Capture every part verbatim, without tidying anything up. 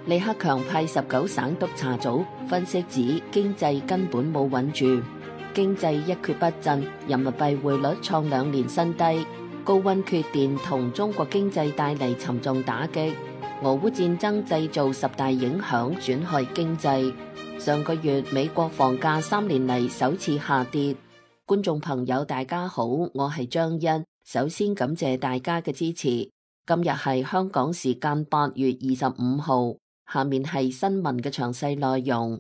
李克強派十九省督察組分析指，經濟根本冇穩住，經濟一蹶不振，人民幣匯率創兩年新低，高溫缺電同中國經濟帶嚟沉重打擊，俄烏戰爭製造十大影響，損害經濟。上個月美國房價三年嚟首次下跌。觀眾朋友大家好，我係張欣，首先感謝大家嘅支持。今日係香港時間八月二十五號。下面係新聞嘅詳細內容。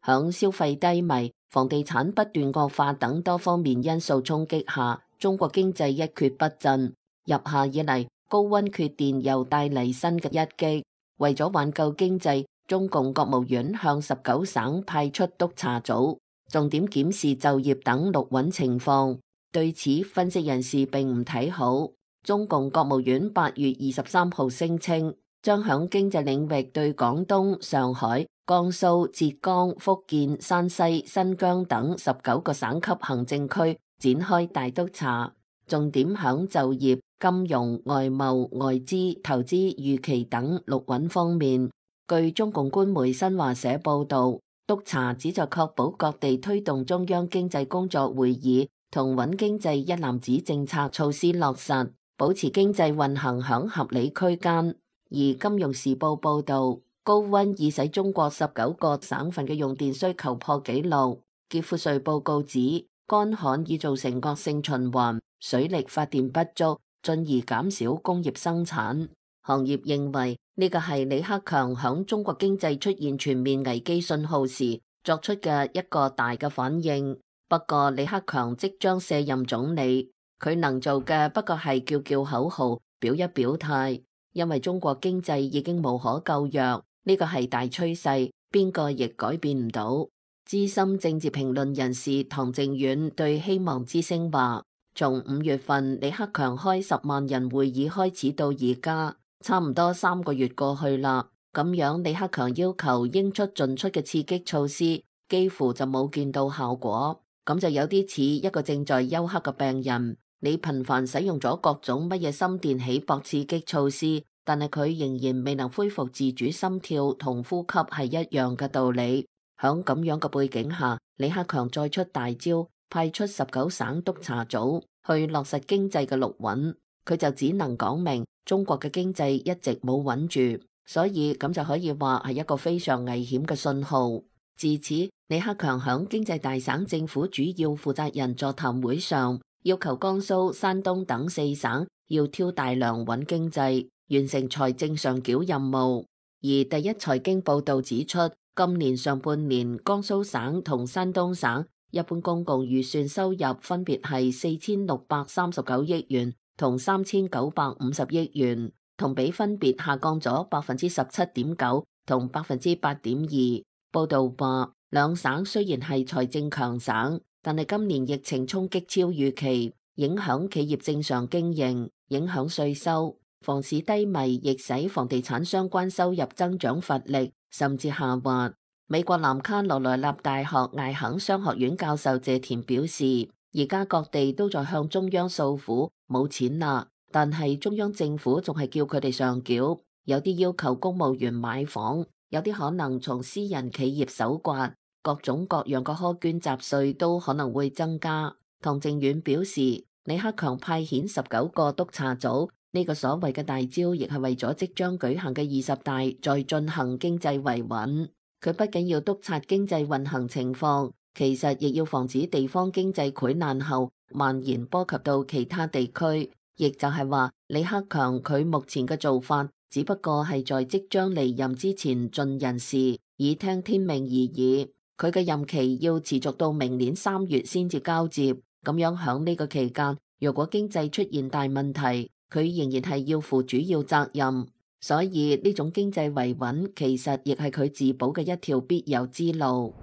響消費低迷、房地產不斷惡化等多方面因素衝擊下，中國經濟一蹶不振。入夏以嚟，高溫缺電又帶嚟新嘅一擊。為咗挽救經濟，中共國務院向十九省派出督察組，重點檢視就業等綠穩情況。對此，分析人士並唔睇好。中共國務院八月二十三號聲稱，將響經濟領域對廣東、上海、江蘇、浙江、福建、山西、新疆等十九個省級行政區展開大督查，重點響就業、金融、外貿、外資、投資、預期等綠穩方面。據中共官媒新華社報道，督查旨在確保各地推動中央經濟工作會議同穩經濟一攬子政策措施落實，保持經濟運行響合理區間。而金融時報報道，高溫已使中國十九個省份嘅用電需求破紀錄。傑富瑞報告指，乾旱已造成惡性循環，水力發電不足，進而減少工業生產。行業認為呢個係李克強響中國經濟出現全面危機信號時作出嘅一個大嘅反應。不過李克強即將卸任總理，佢能做嘅不過係叫叫口號，表一表態，因為中國經濟已經無可救藥，呢個係大趨勢，邊個亦改變唔到。資深政治評論人士唐靖遠對希望之聲話，從五月份李克強開十萬人會議開始到而家，差唔多三個月過去啦，咁樣李克強要求應出盡出嘅刺激措施，幾乎就冇見到效果，咁就有啲似一個正在休克嘅病人。你頻繁使用咗各種乜嘢心電起搏刺激措施，但係佢仍然未能恢復自主心跳同呼吸係一樣嘅道理。響咁樣嘅背景下，李克強再出大招，派出十九省督察組去落實經濟嘅綠穩，佢就只能講明中國嘅經濟一直冇穩住，所以咁就可以話係一個非常危險嘅信號。自此，李克強響經濟大省政府主要負責人座談會上，要求江蘇、山東等四省要挑大梁穩經濟，完成財政上繳任務。而第一財經報道指出，今年上半年江蘇省同山東省一般公共預算收入分別係四千六百三十九億元同三千九百五十億元，同比分別下降咗百分之十七點九同百分之八點二。報道話，兩省雖然係財政強省，但係今年疫情衝擊超預期，影響企業正常經營，影響稅收，房市低迷亦使房地產相關收入增長乏力，甚至下滑。美國南卡羅來納大學艾肯商學院教授謝田表示，而家各地都在向中央訴苦，冇錢啦，但係中央政府仲係叫佢哋上繳，有啲要求公務員買房，有啲可能從私人企業搜刮。各種各樣嘅苛捐雜稅都可能會增加。唐靖遠表示，李克強派遣十九個督察組，呢個所謂嘅大招，亦係為咗即將舉行嘅二十大再進行經濟維穩。佢不僅要督察經濟運行情況，其實亦要防止地方經濟潰爛後蔓延波及到其他地區。亦就係話，李克強佢目前嘅做法，只不過係在即將離任之前盡人事，以聽天命而已。佢嘅任期要持續到明年三月先至交接，咁樣響呢個期間，如果經濟出現大問題，佢仍然係要負主要責任。所以呢種經濟維穩，其實亦係佢自保嘅一條必由之路。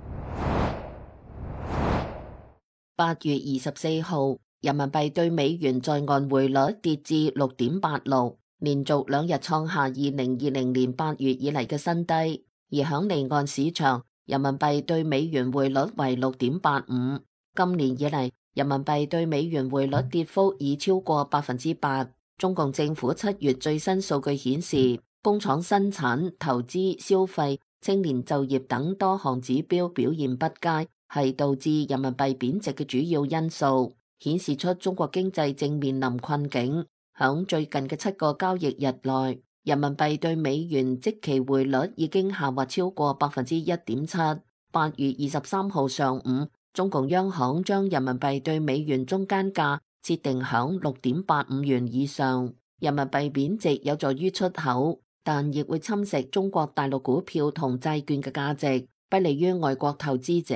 八月二十四號，人民幣對美元在岸匯率跌至六點八六，連續兩日創下二零二零年八月以嚟嘅新低。而響離岸市場，人民幣對美元匯率為六點八五，今年以嚟人民幣對美元匯率跌幅已超過百分之八。中共政府七月最新數據顯示，工廠生產、投資、消費、青年就業等多項指標表現不佳，係導致人民幣貶值嘅主要因素，顯示出中國經濟正面臨困境。響最近嘅七個交易日內，人民幣對美元即期匯率已經下滑超過百分之一點七。八月二十三號上午，中共央行將人民幣對美元中間價設定響六點八五元以上。人民幣貶值有助於出口，但亦會侵蝕中國大陸股票同債券嘅價值，不利於外國投資者。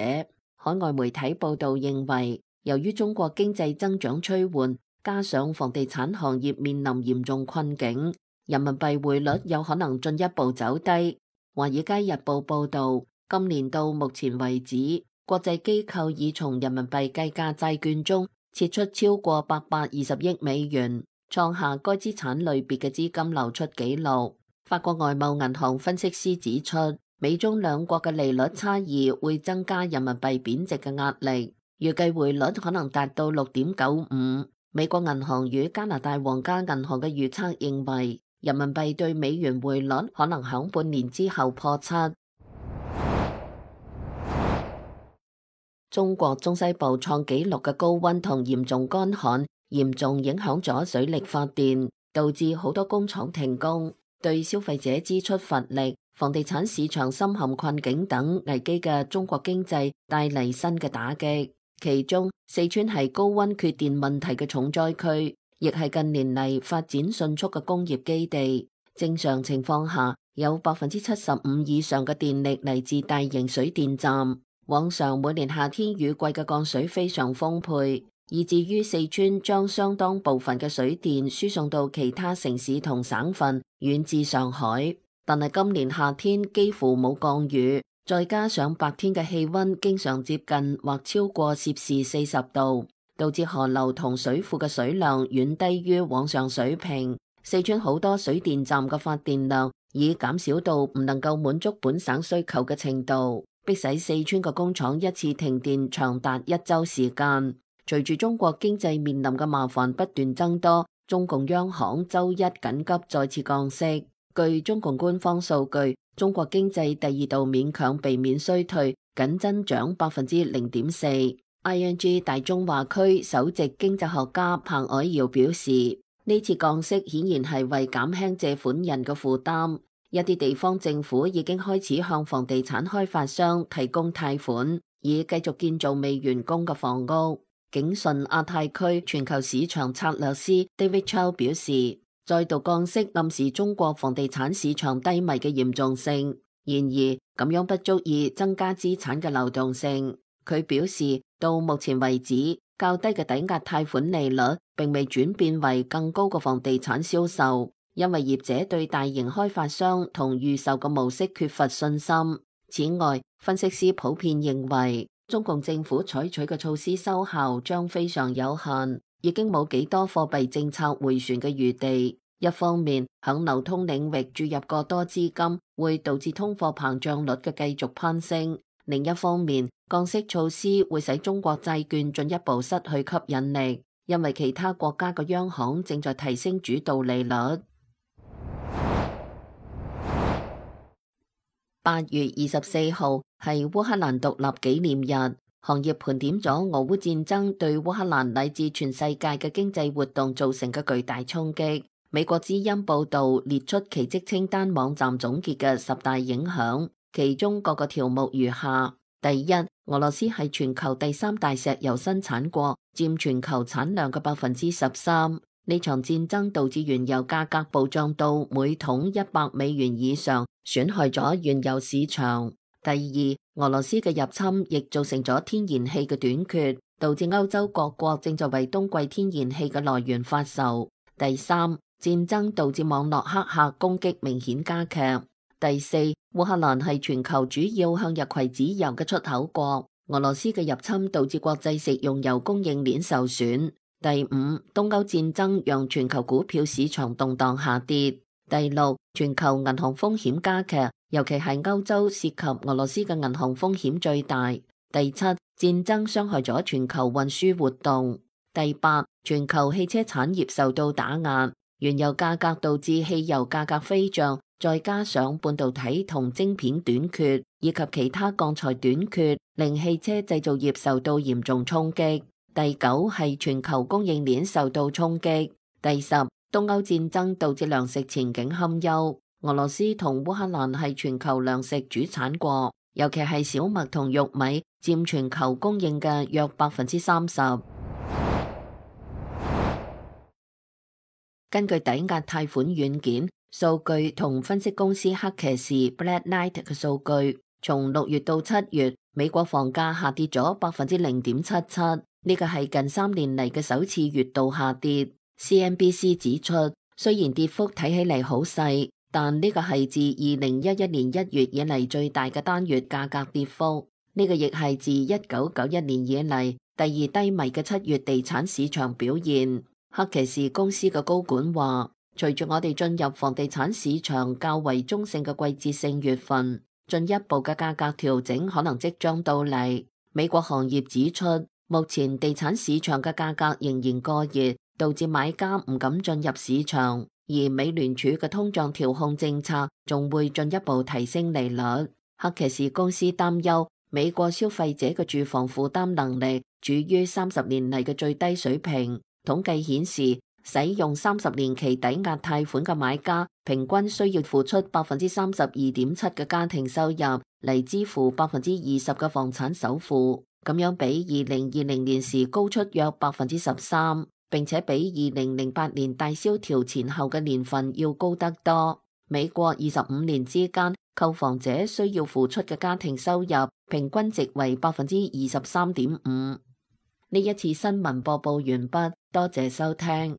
海外媒體報道認為，由於中國經濟增長趨緩，加上房地產行業面臨嚴重困境，人民幣匯率有可能進一步走低。華爾街日報報道，今年到目前為止，國際機構已從人民幣計價債券中撤出超過八百二十億美元，創下該資產類別嘅資金流出紀錄。法國外貿銀行分析師指出，美中兩國嘅利率差異會增加人民幣貶值嘅壓力，預計匯率可能達到六點九五。美國銀行與加拿大皇家銀行嘅預測認為，人民幣對美元匯率可能響半年之後破七。中國中西部創紀錄嘅高溫同嚴重乾旱，嚴重影響咗水力發電，導致好多工廠停工，對消費者支出乏力、房地產市場深陷困境等危機嘅中國經濟帶嚟新嘅打擊。其中，四川係高溫缺電問題嘅重災區，亦係近年嚟發展迅速嘅工業基地。正常情況下，有百分之七十五以上嘅電力嚟自大型水電站。往常每年夏天雨季嘅降水非常豐沛，以至於四川將相當部分嘅水電輸送到其他城市同省份，遠至上海。但係今年夏天幾乎冇降雨，再加上白天嘅氣溫經常接近或超過攝氏四十度，導致河流同水庫嘅水量遠低於往常水平。四川好多水電站嘅發電量已減少到唔能夠滿足本省需求嘅程度，迫使四川嘅工廠一次停電長達一周時間。隨住中國經濟面臨嘅麻煩不斷增多，中共央行周一緊急再次降息。據中共官方數據，中國經濟第二度勉強避免衰退，僅增長百分之零點四。I N G 大中華區首席經濟學家彭藹嬈表示，呢次降息顯然係為減輕借款人嘅負擔。一啲地方政府已經開始向房地產開發商提供貸款，以繼續建造未完工嘅房屋。景順亞太區全球市場策略師 David Chow 表示，再度降息暗示中國房地產市場低迷嘅嚴重性，然而咁樣不足以增加資產嘅流動性。佢表示，到目前為止，較低嘅抵押貸款利率並未轉變為更高嘅房地產銷售，因為業者對大型開發商同預售嘅模式缺乏信心。此外，分析師普遍認為，中共政府採取嘅措施收效將非常有限，已經冇幾多貨幣政策回旋嘅餘地。一方面，響流通領域注入過多資金，會導致通貨膨脹率嘅繼續攀升；另一方面，降息措施會使中國債券進一步失去吸引力，因為其他國家嘅央行正在提升主導利率。八月二十四號係烏克蘭獨立紀念日，行業盤點咗俄烏戰爭對烏克蘭乃至全世界嘅經濟活動造成嘅巨大衝擊。美國之音報道列出奇蹟清單網站總結嘅十大影響，其中各個條目如下：第一，俄羅斯係全球第三大石油生產國，佔全球產量嘅百分之十三。呢場戰爭導致原油價格暴漲到每桶一百美元以上，損害咗原油市場。第二，俄羅斯嘅入侵亦造成咗天然氣嘅短缺，導致歐洲各國正在為冬季天然氣嘅來源發愁。第三，戰爭導致網絡黑客攻擊明顯加劇。第四，烏克蘭係全球主要向日葵籽油嘅出口國，俄羅斯嘅入侵導致國際食用油供應鏈受損。第五，東歐戰爭讓全球股票市場動盪下跌。第六，全球銀行風險加劇，尤其係歐洲涉及俄羅斯嘅銀行風險最大。第七，戰爭傷害咗全球運輸活動。第八，全球汽車產業受到打壓。原油價格導致汽油價格飛漲，再加上半導體同晶片短缺，以及其他鋼材短缺，令汽車製造業受到嚴重衝擊。第九係全球供應鏈受到衝擊。第十，東歐戰爭導致糧食前景堪憂。俄羅斯同烏克蘭係全球糧食主產國，尤其係小麥同玉米佔全球供應嘅約百分之三十。根據抵押貸款軟件數據同分析公司黑騎士 Black Knight 嘅數據，從六月到七月，美國房價下跌咗百分之零點七七，呢個係近三年嚟嘅首次月度下跌。C N B C 指出，雖然跌幅睇起嚟好細，但呢個係自二零一一年一月以嚟最大嘅單月價格跌幅，呢個亦係自一九九一年以嚟第二低迷嘅七月地產市場表現。黑騎士公司嘅高管話，隨住我哋進入房地產市場較為中性嘅季節性月份，進一步嘅價格調整可能即將到嚟。美國行業指出，目前地產市場嘅價格仍然過熱，導致買家唔敢進入市場，而美聯儲嘅通脹調控政策仲會進一步提升利率。黑騎士公司擔憂美國消費者嘅住房負擔能力處於三十年嚟嘅最低水平。統計顯示，使用三十年期抵押貸款嘅買家平均需要付出百分之三十二點七嘅家庭收入嚟支付百分之二十嘅房產首付，咁樣比二零二零年時高出約百分之十三，並且比二零零八年大蕭條前後嘅年份要高得多。美國二十五年之間，購房者需要付出嘅家庭收入平均值為百分之二十三點五。呢一次新聞播報完畢，多謝收聽。